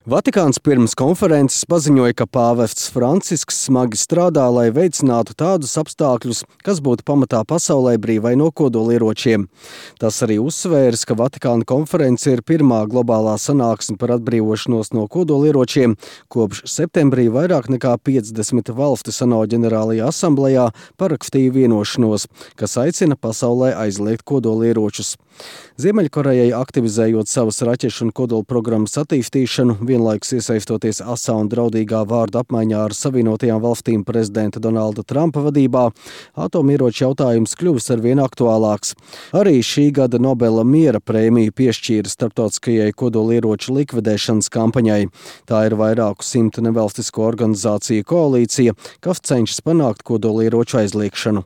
Vatikāns pirms konferences paziņoja, ka pāvests Francisks smagi strādā, lai veicinātu tādus apstākļus, kas būtu pamatā pasaulē brīvai no kodolieročiem. Tas arī uzsvērs, ka Vatikāna konference ir pirmā globālā sanāksme par atbrīvošanos no kodolieročiem, kopš septembrī vairāk nekā 50 valstis ANO ģenerālajā asamblejā parakstīja vienošanos, kas aicina pasaulē aizliegt kodolieročus. Ziemeļkorejai aktivizējot savas raķešu un kodola programmas attīstīšanu, vienlaikus iesaistoties asā un draudīgā vārda apmaiņā ar Savienotajām valstīm prezidenta Donalda Trumpa vadībā, atomieroču jautājums kļuvis arvien aktuālāks. Arī šī gada Nobela miera prēmiju piešķīra starptautiskajai kodolieroču likvidēšanas kampaņai. Tā ir vairāku simtu nevalstisko organizāciju koalīcija, kas cenšas panākt kodolieroču aizliegšanu.